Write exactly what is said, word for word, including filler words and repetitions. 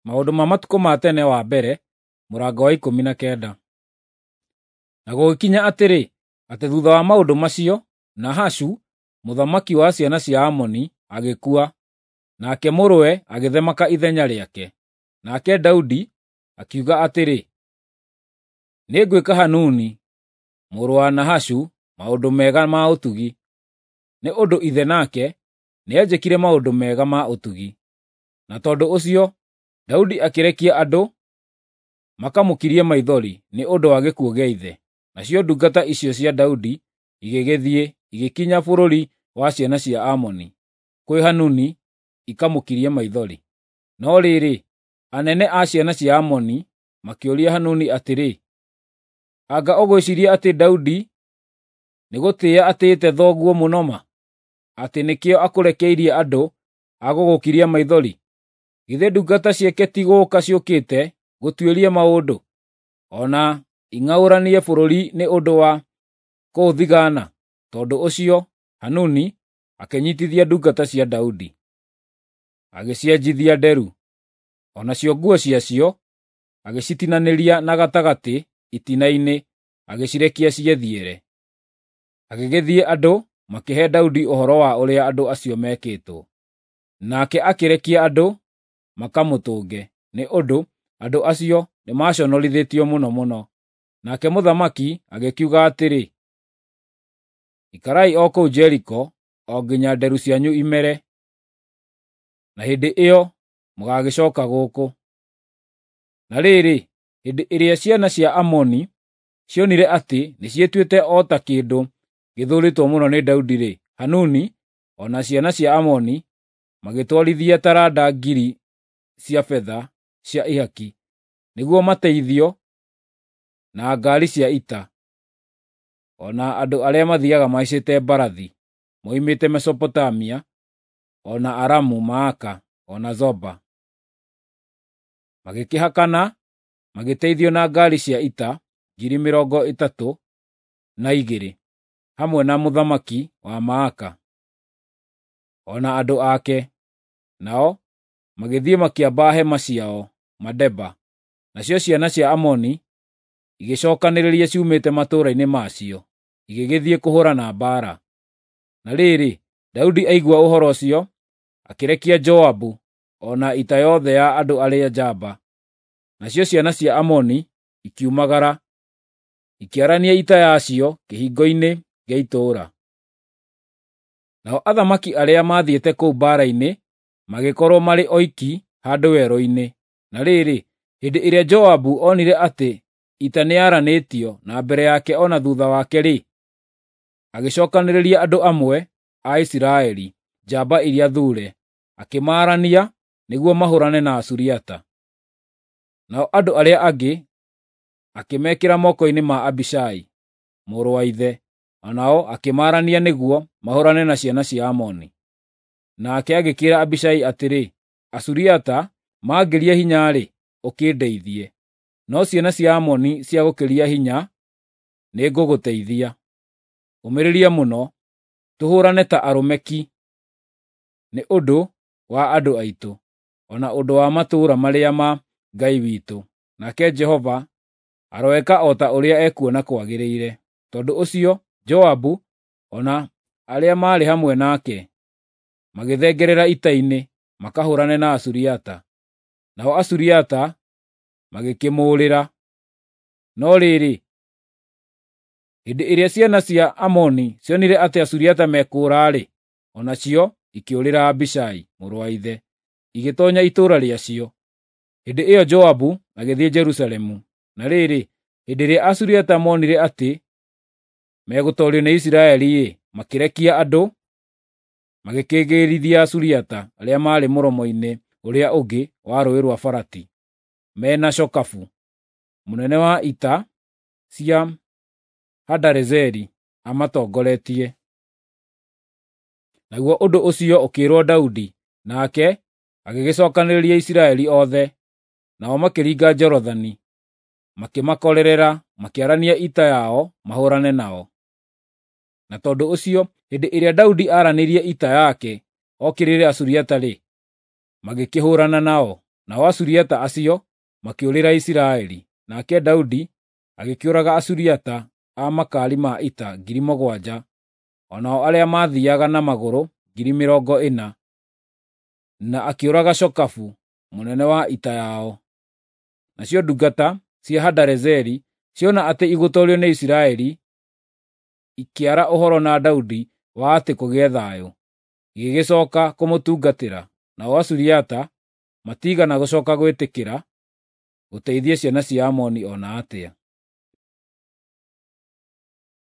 Maũndũ ma Matukũ ma Tene wa mbere, mũrango wa ikũmi na kenda. Na gũgĩkinya atĩrĩ, atĩ thutha wa maũndũ macio, Nahashu, mũthamaki wa ciana cia Amoni, agĩkua, nake mũrũwe agĩthamaka ithenya rĩake. Nake Daudi akiuga atĩrĩ, “Nĩngwĩka Hanuni mũrũ wa Nahashu maũndũ mega ma ũtugi, nĩ ũndũ ithe nake nĩanjĩkire maũndũ mega ma ũtugi.” Na tondũ ũcio Daudi akĩrekia andũ makamũkirie maithori nĩ ũndũ wa gĩkuũ gĩa ithe. Nacio ndungata icio cia Daudi igĩgĩthiĩ, igĩkinya bũrũri wa ciana cia Amoni, kwĩ Hanuni ikamũkirie maithori. No rĩrĩ, anene a ciana cia Amoni makĩũria Hanuni atĩrĩ, “Anga ũgwĩciiria atĩ Daudi nĩgũtĩĩa atĩĩte thoguo mũno ma, atĩ nĩkĩo akũrekeirie andũ a gũgũkiria maithori? Githĩ ndungata ciake ti gũũka ciũkĩte gũtuĩria maũndũ, o na ing'aũranie bũrũri nĩ ũndũ wa kũũthigaana?” Tondũ ũcio Hanuni akĩnyiitithia ndungata cia Daudi, agĩcienjithia nderu, o nacio nguo ciacio agĩcitinanĩria na gatagatĩ itina-inĩ, agĩcirekia ciĩthiĩre. Agĩgĩthiĩ andũ makĩhe Daudi ũhoro wa ũrĩa andũ acio meekĩtwo. Nake akĩrekia andũ makamũtũnge, nĩ ũndũ andũ acio nĩmaconorithĩtio mũno mũno. Nake mũthamaki agĩkiuga atĩrĩ, “Ikarai o kũu Jeriko o nginya nderu cianyu imere, na hĩndĩ ĩyo mũgaagĩcooka gũkũ.” Na rĩrĩ, hĩndĩ ĩrĩa ciana cia Amoni cionire atĩ nĩciĩtuĩte o ta kĩndũ gĩthũũrĩtwo mũno nĩ Daudi-rĩ, Hanuni o na ciana cia Amoni magĩtwarithia taranda ngiri cia betha cia ihaki, nĩguo mateithio na ngaari cia ita, o na andũ arĩa mathiiaga mahaicĩte mbarathi moimĩte Mesopotamia, o na Aramu-Maaka, o na Zoba. Magĩkĩhakana magĩteithio na ngaari cia ita ngiri mĩrongo ĩtatũ na igĩrĩ, hamwe na mũthamaki wa Maaka, o na andũ ake. Nao magĩthiĩ makĩamba hema ciao Medeba. Nacio ciana cia Amoni igĩcookanĩrĩria ciumĩte matũũra-inĩ macio, igĩgĩthiĩ kũhũũrana mbaara. Na rĩrĩ, Daudi aigua ũhoro ũcio, akĩrekia Joabu o na ita yothe ya andũ arĩa njamba. Nacio ciana cia Amoni ikiumagara, ikĩarania ita yacio kĩhingo-inĩ gĩa itũũra. Nao athamaki arĩa maathiĩte kũu mbaara-inĩ magĩkorwo marĩ oiki handũ werũ-inĩ. Na rĩrĩ, hĩndĩ ĩrĩa Joabu onire atĩ ita nĩyaranĩtio na mbere yake o na thuutha wake-rĩ, agĩcookanĩrĩria andũ amwe a Isiraeli, njamba iria thuure, akĩmaarania nĩguo mahũũrane na Asuriata. Nao andũ arĩa angĩ akĩmekĩra moko-inĩ ma Abishai, mũrũ wa ithe, o nao akĩmaarania nĩguo mahũũrane na ciana cia Amoni. Nake agĩkĩĩra Abishai atĩrĩ, “Asuriata maangĩria hinya-rĩ, ũkĩndeithie; no ciana cia Amoni ciagũkĩria hinya, nĩngũgũteithia. Ũmĩrĩria mũno, tũhũũrane ta arũme ki, nĩ ũndũ wa andũ aitũ, o na ũndũ wa matũũra marĩa ma Ngai witũ. Nake Jehova aroeka o ta ũrĩa ekuona kwagĩrĩire.” Tondũ ũcio Joabu o na arĩa maarĩ hamwe nake magĩthengerera ita-inĩ makahũũrane na Asuriata. Nao Asuriata magĩkĩmũũrĩra. No rĩrĩ, hĩndĩ ĩrĩa ciana cia Amoni cionire atĩ Asuriata mekũũra-rĩ, o nacio ikĩũrĩra Abishai mũrũ wa ithe, igĩtoonya itũũra rĩacio. Hĩndĩ ĩyo Joabu agĩthiĩ Jerusalemu. Na rĩrĩ, hĩndĩ ĩrĩa Asuriata moonire atĩ megũtoorio nĩ Isiraeli-rĩ, makĩrekia andũ magĩkĩgĩĩrithia Asuriata arĩa maarĩ mũromo-inĩ ũrĩa ũngĩ wa Rũũĩ rwa Farati, me na Shokafu, mũnene wa ita cia Hadarezeri, amatongoretie. Naguo ũndũ ũcio ũkĩĩrwo Daudi, nake agĩgĩcookanĩrĩria Isiraeli othe, nao makĩringa Jorodani, makĩmakorerera, makĩarania ita yao mahũũrane nao. Na tondũ ũcio, hĩndĩ ĩrĩa Daudi aaranĩirie ita yake okĩrĩre Asuriata-rĩ, magĩkĩhũũrana nao. Nao Asuriata acio makĩũrĩra Isiraeli, nake Daudi agĩkĩũraga Asuriata a makaari ma ita ngiri mũgwanja, o nao arĩa maathiiaga na magũrũ ngiri mĩrongo ĩna, na akĩũraga Shokafu mũnene wa ita yao. Nacio ndungata cia Hadarezeri ciona atĩ igũtoorio nĩ Isiraeli, ikĩara ũhoro na Daudi wa atĩ kũgĩe thayũ, igĩgĩcooka kũmũtungatĩra. Nao Asuriata matiigana gũcooka gwĩtĩkĩra gũteithia ciana cia Amoni o na atĩa.